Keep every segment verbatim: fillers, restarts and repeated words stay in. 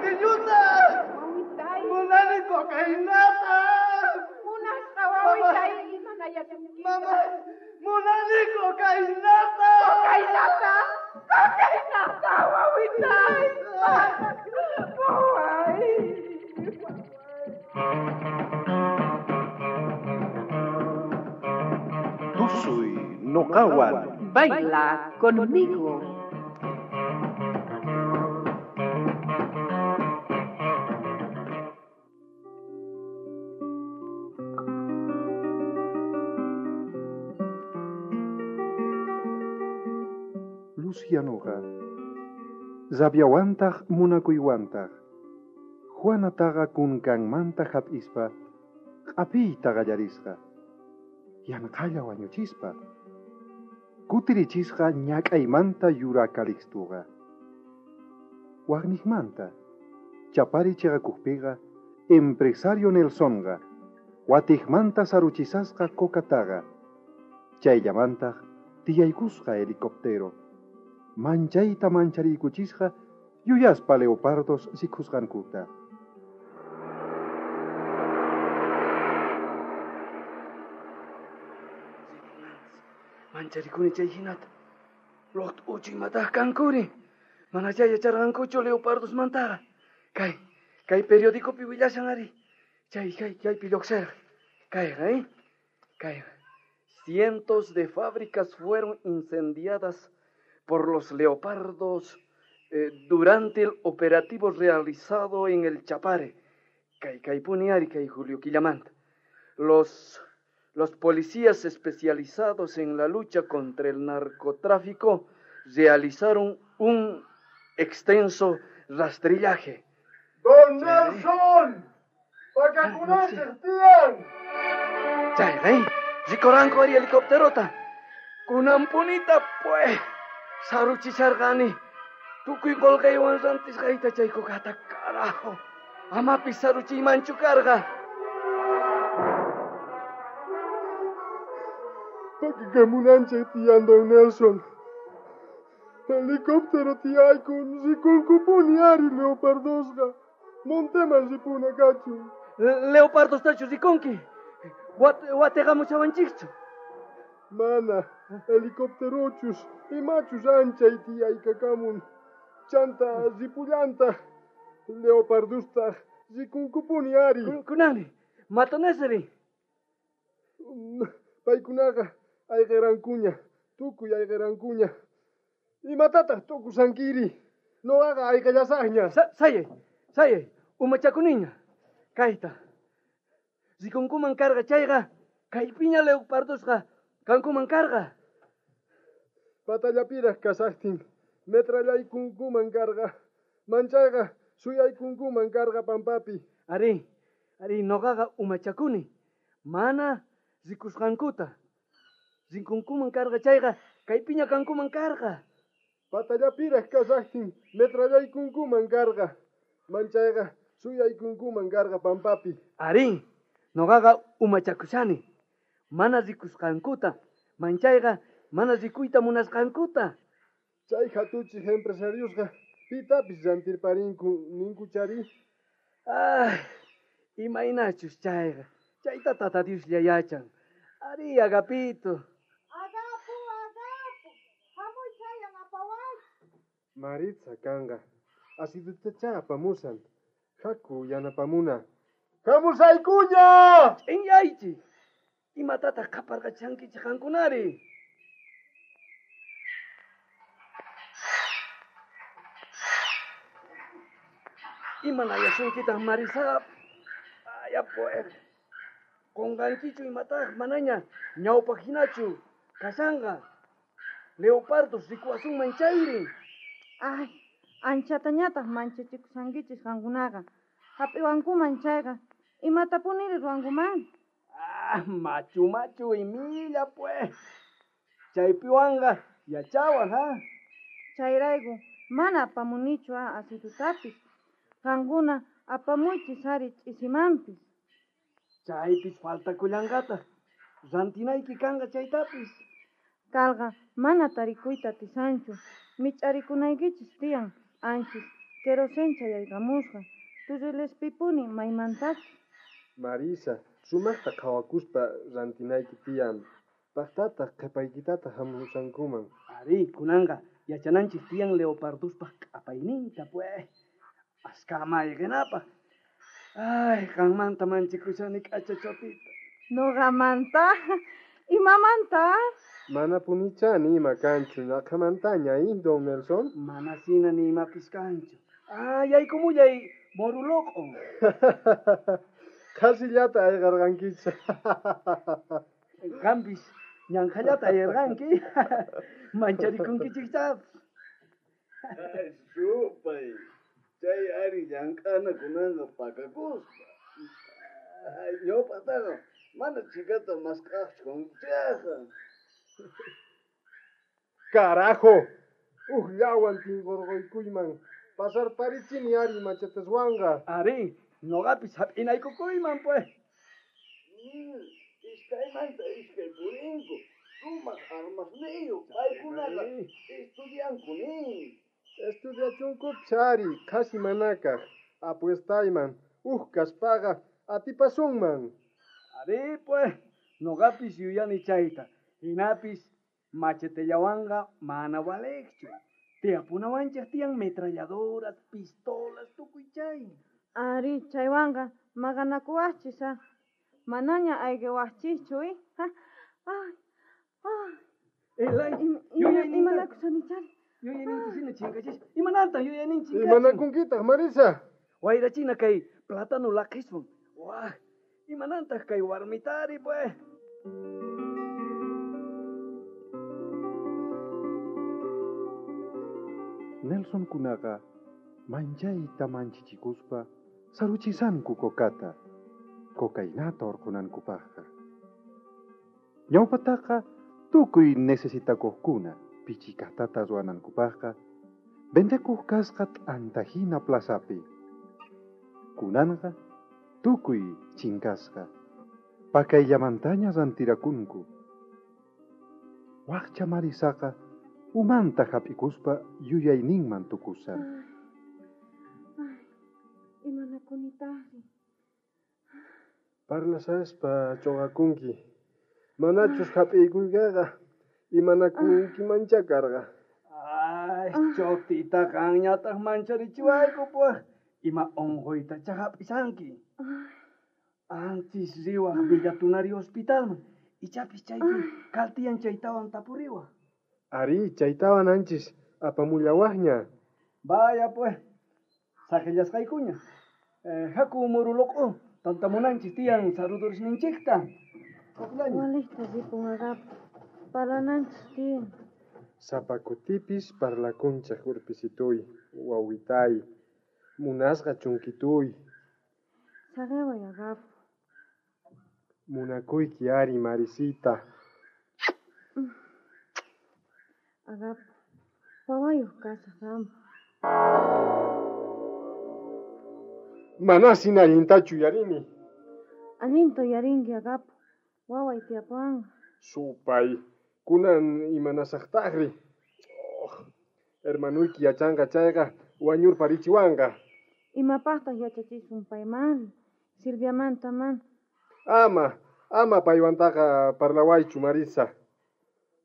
Pequeñuta! Wawitay. Munani cocainata! Munasqa wawitay imanayasunki. Mama, munani cocainata! Cocainata! Cocainata, wawitay! Waway! Tusuy noqawan. Baila conmigo. Lucianoqa rabiawantaj munakuywantaj Juanataqa kunkanmanta hap'ispa q'apiyta qallarisqa yanqalla wañuchispa kutirichisqa ñak'aymanta yura Calixtuqa waqniqmanta chapari chiqakuqpiqa empresario Nelsonqa watiqmanta saruchisasqa cocataqa chayllamantaq tiyaykusqa helicóptero manchayta manchariykuchisqa yuyaspa leopardos rikusqankuta. Mancharikuni chay hinata. Loqt uchu imataq kankuri. Mana chay yacharqankuchu leopardosmantaqa. Kay, kay periodicopi willashan ari. Chay, kay, chaypi lluqsirqa. Kayqa, eh? Kayqa. Cientos de fábricas fueron incendiadas por los leopardos eh, durante el operativo realizado en el Chapare. Kay, kaypuni ari, kay Julio Quillamanta. Los... Los policías especializados en la lucha contra el narcotráfico realizaron un extenso rastrillaje. ¡Don Nelson! ¡Pakakunanchej tiyan! Chay, ¿eh? Rikuranku ari helicópterota. Kunanpunita, pues. Saruchisharqani. Tukuy qolqaywan rantisqayta chay kukata, carajo. Amapis saruchiymanchu karqa. Pakakamunanchej tiyan, don Nelson. Helicóptero tiyaykun, rikunkupuni ari leopardosqa. Monteman ripuna kachun. Leopardostachu rikunki. Wat, wateqamushawanchikchu. Mana, helicópterochus, imachus anchay tiyaykakamun. Chanta ripullantaj, leopardostaj rikunkupuni ari. Kunani, matonesri. Paykunaqa ayqirankuña, tukuy ayqirankuña. Imatataq tukusankiri? Noqaqa ayqillasaqña. Sa sayay, sayay, umachakuniña. Kayta. Rikunkuman karqa chayqa, kaypiña leopardosqa kankuman karqa. Patallapiraq kasaqtin, metrallaykunkuman karqa. Manchayqa suyaykunkuman karqa pampapi. Ari, ari, noqaqa umachakuni. Mana rikusqankuta. Rikunkuman karqa chayqa, kaypiña kankuman karqa. Patallapiraq kasaqtin, metrallaykunkuman karqa. Manchayqa suyaykunkuman karqa pampapi. Ari, noqaqa umachakushani. Mana rikusqankuta, manchayqa mana rikuyta munasqankuta. Chay hatuchij empresariosqa pitapis rantirparinku ninkuchari. Ay, imaynachus chayqa. Chayta tata Dioslla yachan. Ari, Agapito. Agapu, Agapu. Hamuy chayan apawayki. Maritza kanqa. Asidutacha apamusan. Haku yanapamuna. ¡Hamusaykuña! Ch'inyaychik. Imatataq qhaparqachankichik qankunari? Imanayasunkitaq Marisa? Aya pues. Qunqankichu imataq manaña ñawpaq hinachu kashanqa. Leopardos rikuwasunman chayri. Ay, anchatañataq manchachikushankichis qankunaqa. Hap'iwankuman chayqa, imatapuniri ruwankuman? Ah, machu machu imilla pues. Chaypiwanqa yachawaj, ha? Chayrayku mana apamunichu a asitutapis. Qankuna apamuychis ari ch'isimanpis. Chaypis faltakullanqataq. Rantinayki kanqa chaytapis. Kalqa mana tarikuyta atisanchu. Mich'arikunaykichis tiyan anchis Querosén chayaykamusqa. Turrilespipuni maymantachus. Marisa, sumaqta qhawakuspa rantinayki tiyan. Paqtataq qhipaykitataq hamusankuman. Ari, kunanqa yachananchik tiyan leoparduspaq q'apayninta pues. Askama ayqinapaq. Ay, qanmanta manchikushani k'acha chotita. Noqamanta, imamanta? Manapunichá ni ima kanchu, naqhamantaña, ¿eh, don Nelson? Manasina ni imapis kanchu. Ay, yaykumullay moruloqo. Qhasillata ayqarqankicha. Qampis ñanqhallata ayqarqanki. Mancharikunkichikchá. Ay, supay. Chay ari llank'ana kunanqa pakakuspa. Ay, ñawpaqtaqa mana chhikata mask'aqchu kankichikqa. Carajo! Ujllawan tinqurquykuyman. Pasarparichini ari machetaswanqa. Ari, noqapis hap'inaykukuyman pues. Mm, iskaymanta iskay purinku. Sumaq armasniyuq paykunaqa estudianku nin. Estudiachunkupis ari, qhasi manakaq. Apuestayman, uj kaspaqa atipasunman. Ari pues, noqapis yuyani chayta. Hinapis machetellawanqa mana valeqchu. Tiyapunawanchik tiyan metralladoras, pistolas, tukuy chay. Ari, chaywanqa maqanakuwaqchis ah. Manaña ayqiwaqchischu, eh? Ha, ay, ay. Elay, Im- yuyayninta- Imanakushanichari. Yuyayninta hina chinkachis. Imanantan yuyaynin chinkachin? Imanakunkitaq, Marisa? Wayrachina kay plátano laqhiswan. Wah, imanantaq kay warmitari pues. Nelson kunaqa manchayta manchichikuspa saruchisanku kokata, cocainata orqunankupaqqa. Ñawpataqa tukuy necesitakuqkuna pichikatata ruwanankupaqqa vendekuq kasqa t'antahina plazapi. Kunanqa tukuy chinkasqa, pakayllamantaña rantirakunku. Waqcha Marisaqa umanta hap'ikuspa yuyayninman tukusan. Ay, imanakunitaqri. Parlasaspa ch'uqakunki. Manachus hap'iykuykaqa imanakunkimanchá karqa. Ay, chotita qanñataq mancharichiwayku pues. Ima unquytachá hap'isanki. Anchis riwaq Villatunari hospitalman. Ichapis chaypi kaltiyan chaytawan tapuriwaq. Ari, chaytawan anchis apamullawaqña. Vaya pues, saqillasqaykuña. Eh, haku muruloqo, tantamunanchis tiyan sarudurisninchikta. Hakullaña. Walejta ripun Agapo. Parlananchis tiyan. Sapa kutipis parlakunchik urpisituy, wawitay, munasqa chunkituy. Saqeway Agapo. Munakuyki ari, Marisita. Agapo, wawayuq kasaq qanpaq. Manasina allintachu yuyarini. Allinta uyarinki Agapo. Waway tiyapuwanqa. Supay, kunan imanasaqtaqri. Oh, hermanuyki yachanqa chayqa wañurparichiwanqa. Imapaqtaq yachachisun paymanri? Silviamanta mana. Ama, ama paywantaqa parlawaychu, Marisa.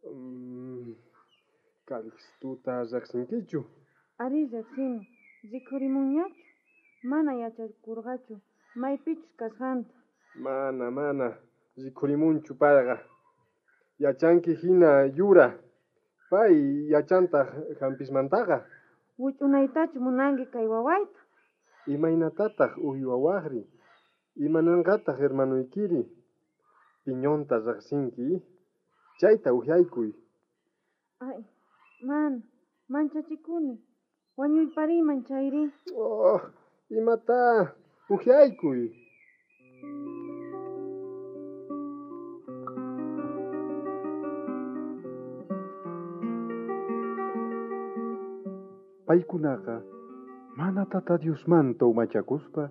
Mm, Calixtuta riqsinkichu? Ari riqsini. Rikhurimunñachu? Mana yachakurqachu maypichus kasqanta. Mana, mana, rikhurimunchu payqa. Yachanki hina yura. Pay yachantaq hampismantaqa. Wich'unaytachu munanki kay wawayta? Imaynatataq uywawaqri? Imananqataq hermanuykiri? Piñonta riqsinki? Chayta uhyaykuy. Ay, mana, manchachikuni. Wañuypariyman chayri. Oh, imata uhyaykuy. Paykunaqa mana tata Diosmanta umachakuspa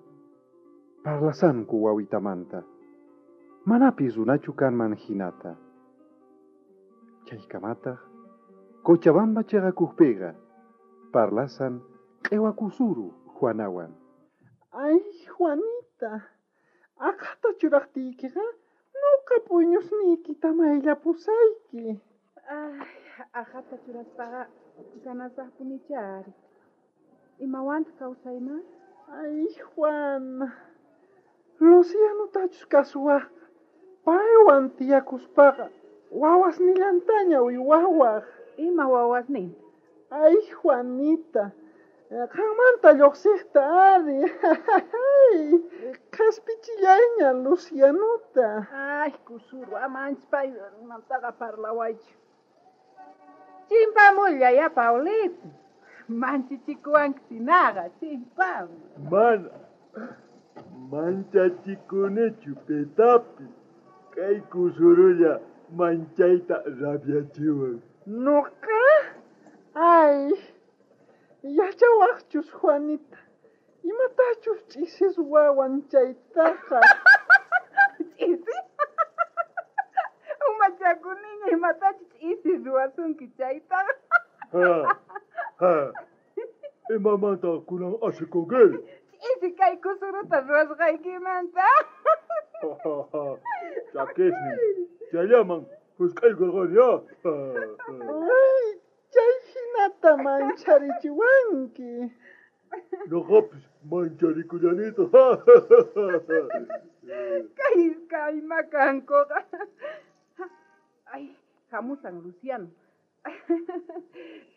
parlasanku wawitamanta. Manapis runachu kanman hinata. Chaykamataq Cochabamba chayakujpiqa parlasan Q'ewakusuru Juanawan. Ay, Juanita, aqhata churaqtiykiqa nuqa p'uyñusniykita mayllapusayki. Ay, aqhata churaspaqa ganasaqpunichari. Imawantaq kawsayman? Ay, Juana, Lucianotachus kasuwaqqa paywan tiyakuspaqa wawasnillantaña uywawaq. Ima wawasninta? Ay, Juanita, qanmanta lluqsiqta ari. Qhaspichillayña Lucianota. Ay, Kusuru, amanchis paymantaqa parlawaychu. Chimpamullaya, Paulito. Manchichikuwanki sinaqa, chimpamuy. Mana manchachikunichu pitapis. Kay kusurulla manchayta rabyachiwan. Nuqa? Ay, yachawaqchus, Juanita. Imatachus ch'isis wawan chaytaqa. Ch'isi? Umachakuniña imatachus ch'isi ruwasunki chaytaqa. Ha, ha. Imamanta kunan asikunki? Ch'isi kay kusuruta ruwasqaykimanta. Chakisnin, chayllaman husk'aykurqani, ha. Ay, chay hinata mancharichiwanki. Noqapis mancharikullanitaj. Kay iskay kankuqa. Ay, hamusan Luciano.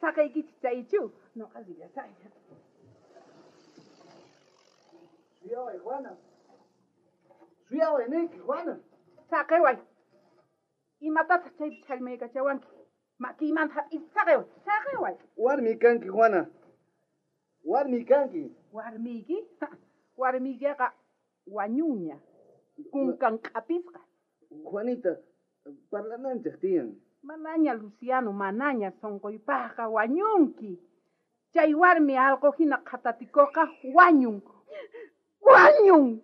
Saqaykichik chaychu, noqa rillasayña. Suyaway, Juana. Suyaway, niyki, Juana. Saqeway. Imatataq chaypi chhallmaykachawanki? Makiymanta hap'is, saqeway, saqeway. Warmi kanki, Juana. Warmi kanki. Warmiyki? Warmiykiqa wañuña. Kunkan q'apisqa. Juanita, parlananchik tiyan. Manaña, Luciano, manaña sunquypaqqa wañunki. Chay warmi allqu hina qhatatikuqqa wañun. Wañun.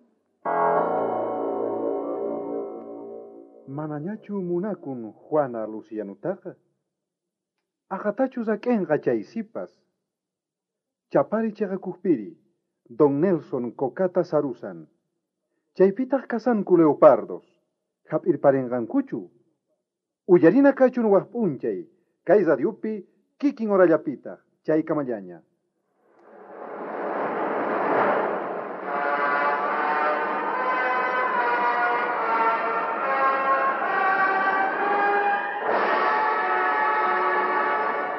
Manañachu munakun Juana Lucianutaqa? Aqhatachus ak'enqa chay sipas. Chapari chaqakujpiri, don Nelson kokata sarusan. Chaypitaq kasanku leopardos. Hap'irparinqankuchu. Uyarina kachun waj p'unchay, kay radiopi kikin horallapitaq, chaykamallaña.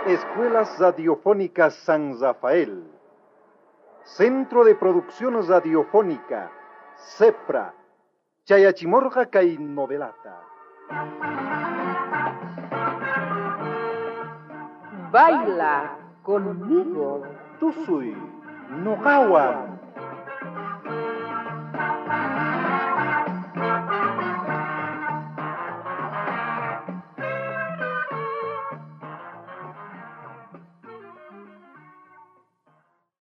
Escuelas Radiofónicas San Rafael. Centro de Producción Radiofónica, CEPRA. Chayachimorja kay novelata. Baila conmigo. Tusuy, noqawan.